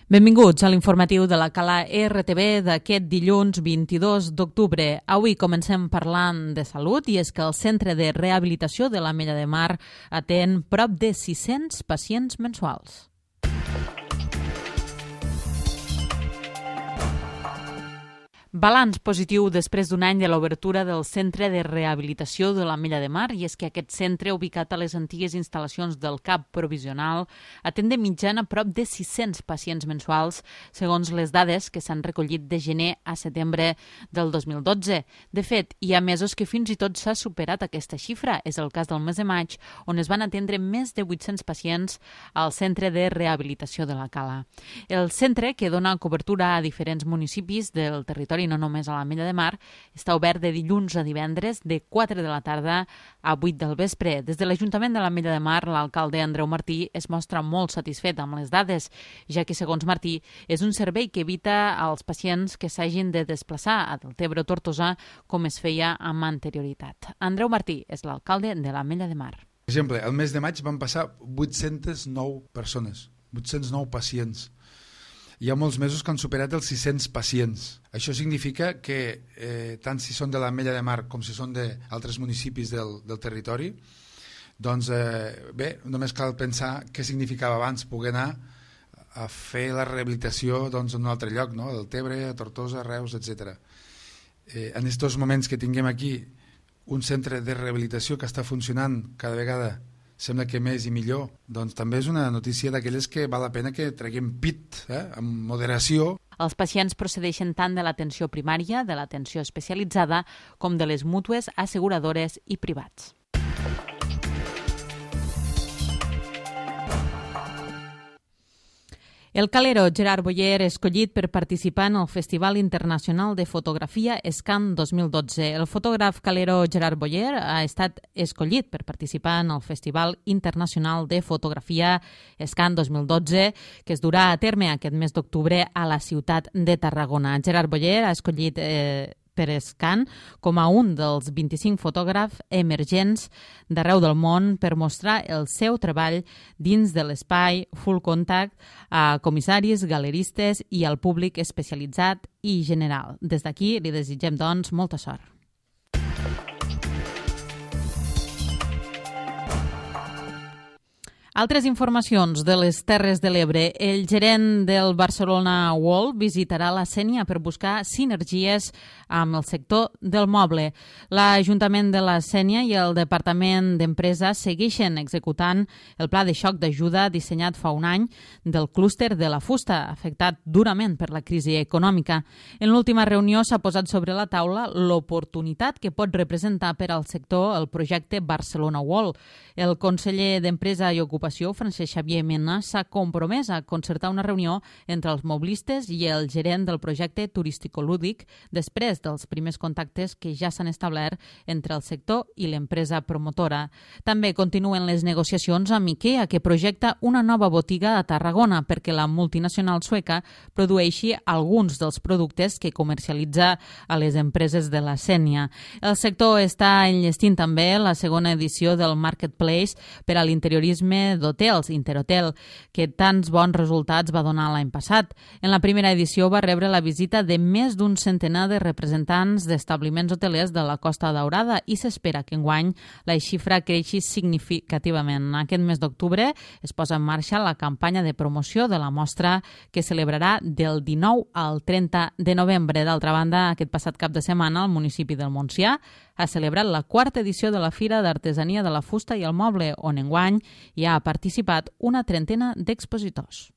Benvinguts a l'informatiu de la Cala RTV d'aquest dilluns 22 d'octubre. Avui comencem parlant de salut i és que el Centre de Rehabilitació de l'Ametlla de Mar atén prop de 600 pacients mensuals. Balanç positiu després d'un any de l'obertura del Centre de Rehabilitació de l'Ametlla de Mar, i és que aquest centre, ubicat a les antigues instal·lacions del CAP provisional, atén de mitjana prop de 600 pacients mensuals, segons les dades que s'han recollit de gener a setembre del 2012. De fet, hi ha mesos que fins i tot s'ha superat aquesta xifra. És el cas del mes de maig, on es van atendre més de 800 pacients al Centre de Rehabilitació de la Cala. El centre, que dona cobertura a diferents municipis del territori, no només a l'Ametlla de Mar, està obert de dilluns a divendres de 4 de la tarda a 8 del vespre. Des de l'Ajuntament de l'Ametlla de Mar, l'alcalde Andreu Martí es mostra molt satisfet amb les dades, ja que, segons Martí, és un servei que evita als pacients que s'hagin de desplaçar a Deltebre o Tortosa com es feia amb anterioritat. Andreu Martí és l'alcalde de l'Ametlla de Mar. Per exemple, el mes de maig van passar 809 persones, 809 pacients. Hi ha molts mesos que han superat els 600 pacients. Això significa que tant si són de l'Ametlla de Mar com si són d'altres municipis del territori, doncs bé, només cal pensar què significava abans poder anar a fer la rehabilitació en un altre lloc, no? A Deltebre, a Tortosa, a Reus, etc. En aquests moments que tinguem aquí un centre de rehabilitació que està funcionant cada vegada sembla que més i millor, doncs també és una notícia d'aquelles que val la pena que treguem pit, amb moderació. Els pacients procedeixen tant de l'atenció primària, de l'atenció especialitzada, com de les mútues, asseguradores i privats. El calero Gerard Boyer, escollit per participar en el Festival Internacional de Fotografia Scan 2012. El fotògraf calero Gerard Boyer ha estat escollit per participar en el Festival Internacional de Fotografia Scan 2012, que es durà a terme aquest mes d'octubre a la ciutat de Tarragona. Gerard Boyer ha escollit per Scan com a un dels 25 fotògrafs emergents d'arreu del món per mostrar el seu treball dins de l'espai Full Contact a comissaris, galeristes i al públic especialitzat i general. Des d'aquí li desitgem, doncs, molta sort. Altres informacions de les Terres de l'Ebre. El gerent del Barcelona World visitarà la Sénia per buscar sinergies amb el sector del moble. L'Ajuntament de la Sénia i el Departament d'Empresa segueixen executant el pla de xoc d'ajuda dissenyat fa un any del clúster de la fusta, afectat durament per la crisi econòmica. En l'última reunió s'ha posat sobre la taula l'oportunitat que pot representar per al sector el projecte Barcelona World. El conseller d'Empresa i Ocupació, Francesc Xavier Mena, s'ha compromès a concertar una reunió entre els moblistes i el gerent del projecte turístico-lúdic després dels primers contactes que ja s'han establert entre el sector i l'empresa promotora. També continuen les negociacions amb IKEA, que projecta una nova botiga a Tarragona perquè la multinacional sueca produeixi alguns dels productes que comercialitza a les empreses de la Sénia. El sector està enllestint també la segona edició del Marketplace per a l'interiorisme d'hotels, Interhotel, que tants bons resultats va donar l'any passat. En la primera edició va rebre la visita de més d'un centenar de representants d'establiments hotelers de la Costa Daurada i s'espera que enguany la xifra creixi significativament. Aquest mes d'octubre es posa en marxa la campanya de promoció de la mostra que celebrarà del 19 al 30 de novembre. D'altra banda, aquest passat cap de setmana, el municipi del Montsià ha celebrat la quarta edició de la Fira d'Artesania de la Fusta i el Moble, on enguany hi ha participat una trentena d'expositors.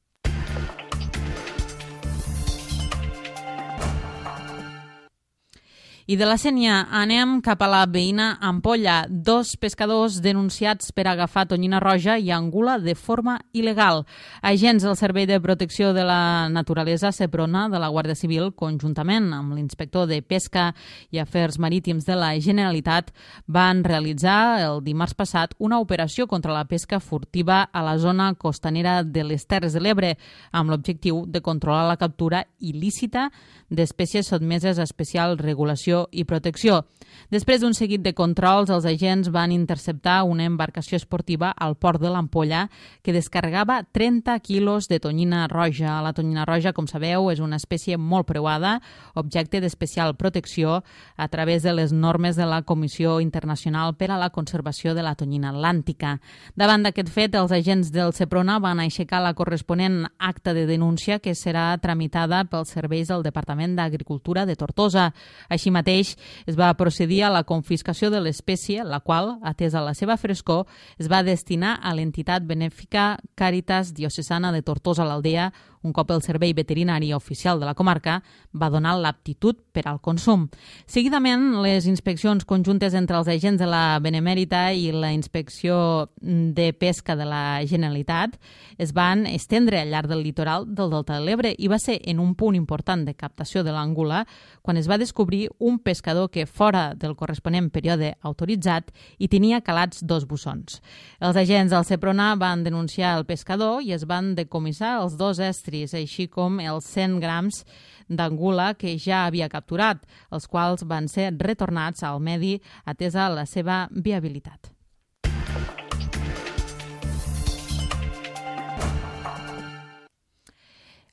I de la Sénia anem cap a la veïna Ampolla. 2 pescadors denunciats per agafar tonyina roja i angula de forma il·legal. Agents del Servei de Protecció de la Naturalesa, SEPRONA, de la Guàrdia Civil, conjuntament amb l'inspector de Pesca i Afers Marítims de la Generalitat, van realitzar el dimarts passat una operació contra la pesca furtiva a la zona costanera de les Terres de l'Ebre, amb l'objectiu de controlar la captura il·lícita d'espècies sotmeses a especial regulació conservació i protecció. Després d'un seguit de controls, els agents van interceptar una embarcació esportiva al port de l'Ampolla que descarregava 30 quilos de tonyina roja. La tonyina roja, com sabeu, és una espècie molt preuada, objecte d'especial protecció a través de les normes de la Comissió Internacional per a la Conservació de la Tonyina Atlàntica. Davant d'aquest fet, els agents del Seprona van aixecar la corresponent acta de denúncia que serà tramitada pels serveis del Departament d'Agricultura de Tortosa. Així mateix, es va procedir a la confiscació de l'espècie, la qual, atesa la seva frescor, es va destinar a l'entitat benèfica Càritas Diocesana de Tortosa l'Aldea, un cop el Servei Veterinari Oficial de la comarca va donar l'aptitud per al consum. Seguidament, les inspeccions conjuntes entre els agents de la Benemèrita i la Inspecció de Pesca de la Generalitat es van estendre al llarg del litoral del Delta de l'Ebre i va ser en un punt important de captació de l'àngula quan es va descobrir un pescador que, fora del corresponent període autoritzat, hi tenia calats 2 bussons. Els agents del Seprona van denunciar el pescador i es van decomissar els 2 estris, així com els 100 grams d'angula que ja havia capturat, els quals van ser retornats al medi atesa la seva viabilitat.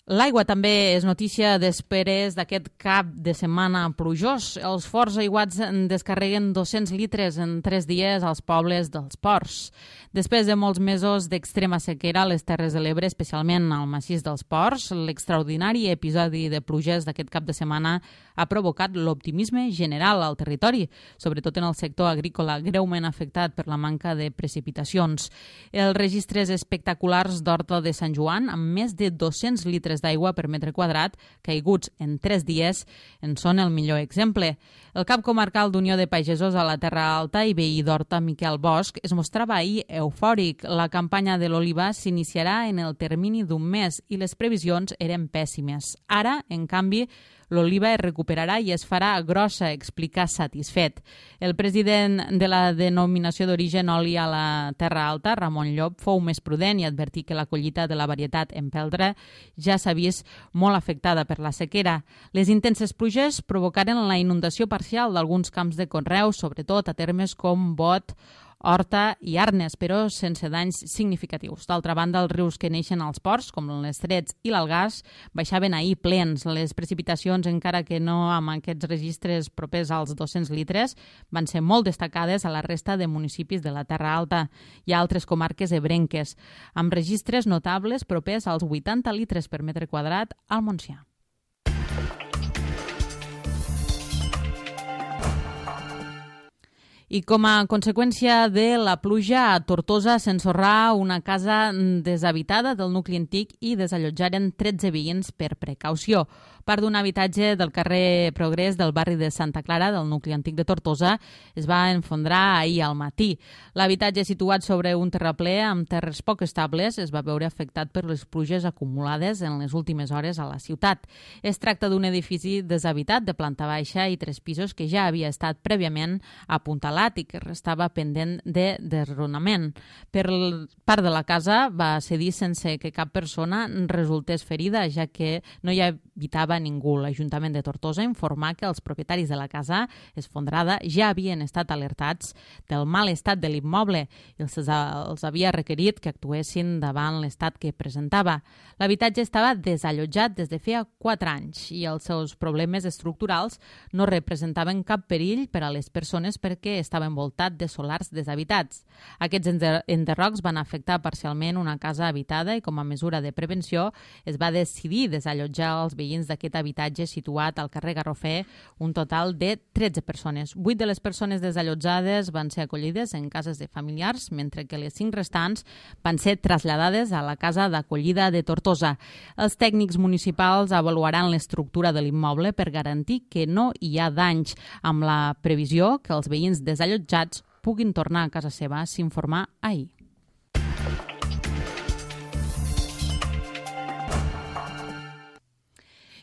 L'aigua també és notícia després d'aquest cap de setmana plujós. Els forts aiguats descarreguen 200 litres en 3 dies als pobles dels ports. Després de molts mesos d'extrema sequera a les Terres de l'Ebre, especialment al massís dels Ports, l'extraordinari episodi de pluges d'aquest cap de setmana ha provocat l'optimisme general al territori, sobretot en el sector agrícola, greument afectat per la manca de precipitacions. Els registres espectaculars d'Horta de Sant Joan, amb més de 200 litres d'aigua per metre quadrat, caiguts en 3 dies, en són el millor exemple. El cap comarcal d'Unió de Pagesos a la Terra Alta i veí d'Horta, Miquel Bosch, es mostrava ahir eufòric. La campanya de l'oliva s'iniciarà en el termini d'un mes i les previsions eren pèssimes. Ara, en canvi, l'oliva es recuperarà i es farà grossa, explica satisfet. El president de la denominació d'origen oli a la Terra Alta, Ramon Llop, fou més prudent i advertí que la collita de la varietat empeltre ja s'ha vist molt afectada per la sequera. Les intenses pluges provocaren la inundació parcial d'alguns camps de conreu, sobretot a termes com Bot, Horta i Arnes, però sense danys significatius. D'altra banda, els rius que neixen als ports, com l'Estrets i l'Algars, baixaven ahir plens. Les precipitacions, encara que no amb aquests registres propers als 200 litres, van ser molt destacades a la resta de municipis de la Terra Alta i a altres comarques ebrenques, amb registres notables propers als 80 litres per metre quadrat al Montsià. I com a conseqüència de la pluja, a Tortosa s'ensorrà una casa deshabitada del nucli antic i desallotjaren 13 veïns per precaució. Part d'un habitatge del carrer Progrés del barri de Santa Clara, del nucli antic de Tortosa, es va enfondrar ahir al matí. L'habitatge, situat sobre un terraplè amb terres poc estables, es va veure afectat per les pluges acumulades en les últimes hores a la ciutat. Es tracta d'un edifici deshabitat de planta baixa i 3 pisos que ja havia estat prèviament apuntalat i que restava pendent de desronament. Per part de la casa va cedir sense que cap persona resultés ferida, ja que no hi habitava ningú. L'Ajuntament de Tortosa informa que els propietaris de la casa esfondrada ja havien estat alertats del mal estat de l'immoble i els havia requerit que actuessin davant l'estat que presentava. L'habitatge estava desallotjat des de feia 4 anys i els seus problemes estructurals no representaven cap perill per a les persones perquè estava envoltat de solars deshabitats. Aquests enderrocs van afectar parcialment una casa habitada i com a mesura de prevenció es va decidir desallotjar els veïns d'aquest habitatge situat al carrer Garrofer un total de 13 persones. 8 de les persones desallotjades van ser acollides en cases de familiars, mentre que les 5 restants van ser traslladades a la casa d'acollida de Tortosa. Els tècnics municipals avaluaran l'estructura de l'immoble per garantir que no hi ha danys, amb la previsió que els veïns desallotjats puguin tornar a casa seva, s'informà ahir.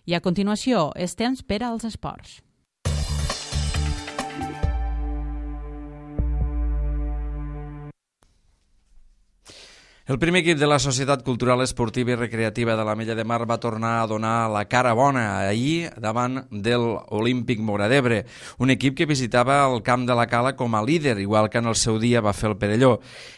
I a continuació, és temps per als esports. El primer equip de la Societat Cultural Esportiva i Recreativa de l'Ametlla de Mar va tornar a donar la cara bona ahir davant del Olímpic Móra d'Ebre, un equip que visitava el camp de la Cala com a líder, igual que en el seu dia va fer el Perelló.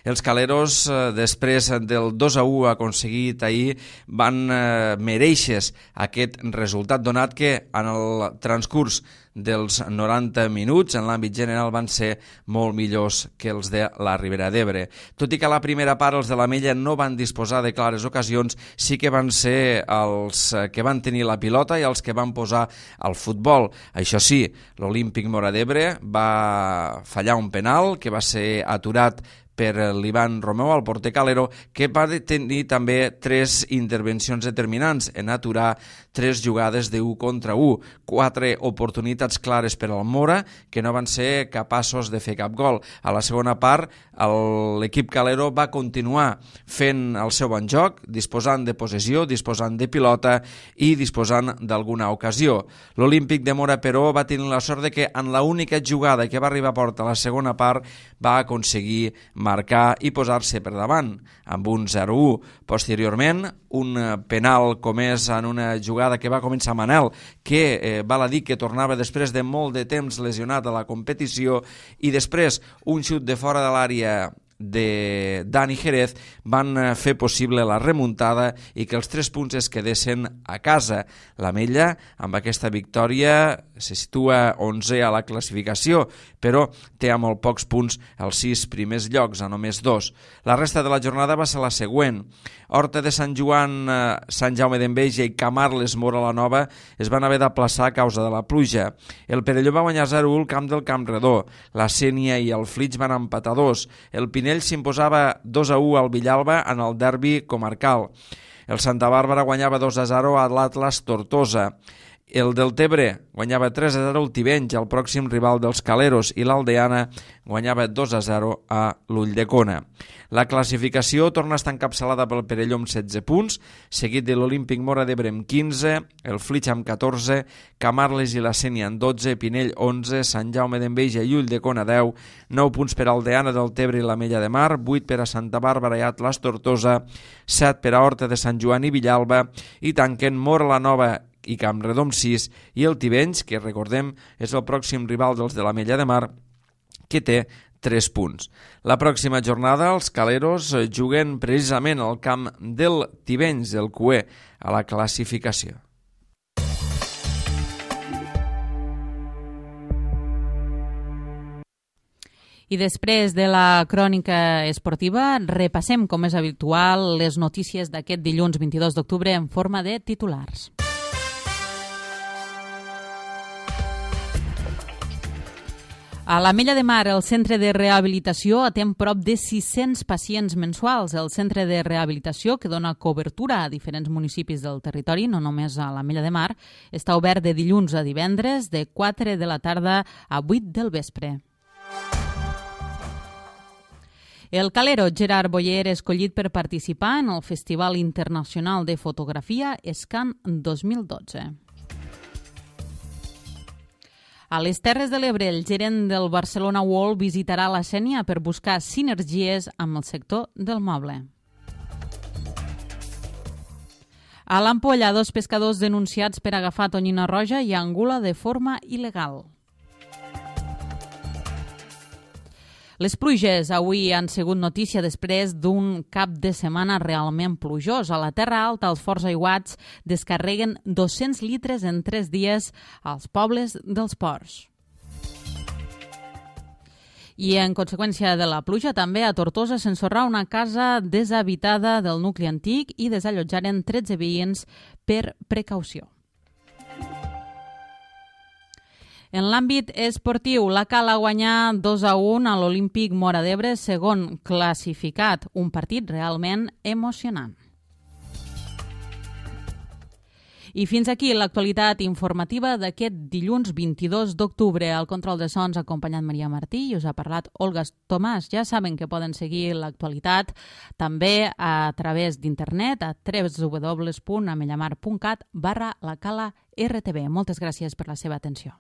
Els caleros, després del 2-1 aconseguit ahir, van mereixer aquest resultat, donat que en el transcurs dels 90 minuts en l'àmbit general van ser molt millors que els de la Ribera d'Ebre. Tot i que a la primera part els de l'Ametlla no van disposar de clares ocasions, sí que van ser els que van tenir la pilota i els que van posar el futbol. Això sí, l'Olímpic Móra d'Ebre va fallar un penal que va ser aturat per l'Ivan Romeu, el porter calero, que va tenir també 3 intervencions determinants en aturar 3 jugades de 1 contra 1, 4 oportunitats clares per al Móra que no van ser capaços de fer cap gol. A la segona part, l'equip calero va continuar fent el seu bon joc, disposant de possessió, disposant de pilota i disposant d'alguna ocasió. L'Olímpic de Móra, però, va tenir la sort de que en l'única jugada que va arribar a porta a la segona part va aconseguir marcar i posar-se per davant amb un 0-1. Posteriorment, un penal comès en una jugada que va començar Manel, que val a dir que tornava després de molt de temps lesionat a la competició, i després un xut de fora de l'àrea de Dani Jerez van fer possible la remuntada i que els 3 punts es quedessin a casa. L'Ametlla, amb aquesta victòria, se situa 11è a la classificació, però té a molt pocs punts els 6 primers llocs, a només 2. La resta de la jornada va ser la següent. Horta de Sant Joan, Sant Jaume d'Enveja i Camarles Móra la Nova es van haver d'aplaçar a causa de la pluja. El Perelló va guanyar 0-1 al camp del Campredó. La Sénia i el Flix van empatar 2. El Pinell s'imposava 2-1 al Villalba en el derbi comarcal. El Santa Bàrbara guanyava 2-0 a l'Atlas Tortosa. El Deltebre guanyava 3-0 al Tivenys, el pròxim rival dels caleros, i l'Aldeana guanyava 2-0 a l'Ulldecona. La classificació torna a estar encapçalada pel Perelló amb 16 punts, seguit de l'Olímpic Móra d'Ebre amb 15, el Flix amb 14, Camarles i la Sénia amb 12, Pinell 11, Sant Jaume d'Enveja i Ulldecona 10, 9 punts per a Aldeana, Deltebre i l'Ametlla de Mar, 8 per a Santa Bàrbara i Atlas Tortosa, 7 per a Horta de Sant Joan i Villalba, i tanquen Móra la Nova i Campredó amb 6, i el Tivenys, que recordem és el pròxim rival dels de l'Ametlla de Mar, que té 3 punts. La pròxima jornada els caleros juguen precisament al camp del Tivenys, del Cué, a la classificació. I després de la crònica esportiva, repassem, com és habitual, les notícies d'aquest dilluns 22 d'octubre en forma de titulars. A l'Ametlla de Mar, el centre de rehabilitació atén prop de 600 pacients mensuals. El centre de rehabilitació, que dona cobertura a diferents municipis del territori, no només a l'Ametlla de Mar, està obert de dilluns a divendres, de 4 de la tarda a 8 del vespre. El calero Gerard Boyer, escollit per participar en el Festival Internacional de Fotografia SCAN 2012. A les Terres de l'Ebre, el gerent del Barcelona World visitarà la Sénia per buscar sinergies amb el sector del moble. A l'Ampolla, 2 pescadors denunciats per agafar tonyina roja i angula de forma il·legal. Les pluges avui han sigut notícia després d'un cap de setmana realment plujós. A la Terra Alta, els forts aiguats descarreguen 200 litres en 3 dies als pobles dels ports. I en conseqüència de la pluja, també a Tortosa s'ensorrà una casa deshabitada del nucli antic i desallotjaren 13 veïns per precaució. En l'àmbit esportiu, la Cala guanyà 2-1 a l'Olímpic Móra d'Ebre, segon classificat, un partit realment emocionant. I fins aquí l'actualitat informativa d'aquest dilluns 22 d'octubre. Al control de sons ha acompanyat Maria Martí i us ha parlat Olga Tomàs. Ja saben que poden seguir l'actualitat també a través d'internet a www.amellamar.cat/lacala-rtb. Moltes gràcies per la seva atenció.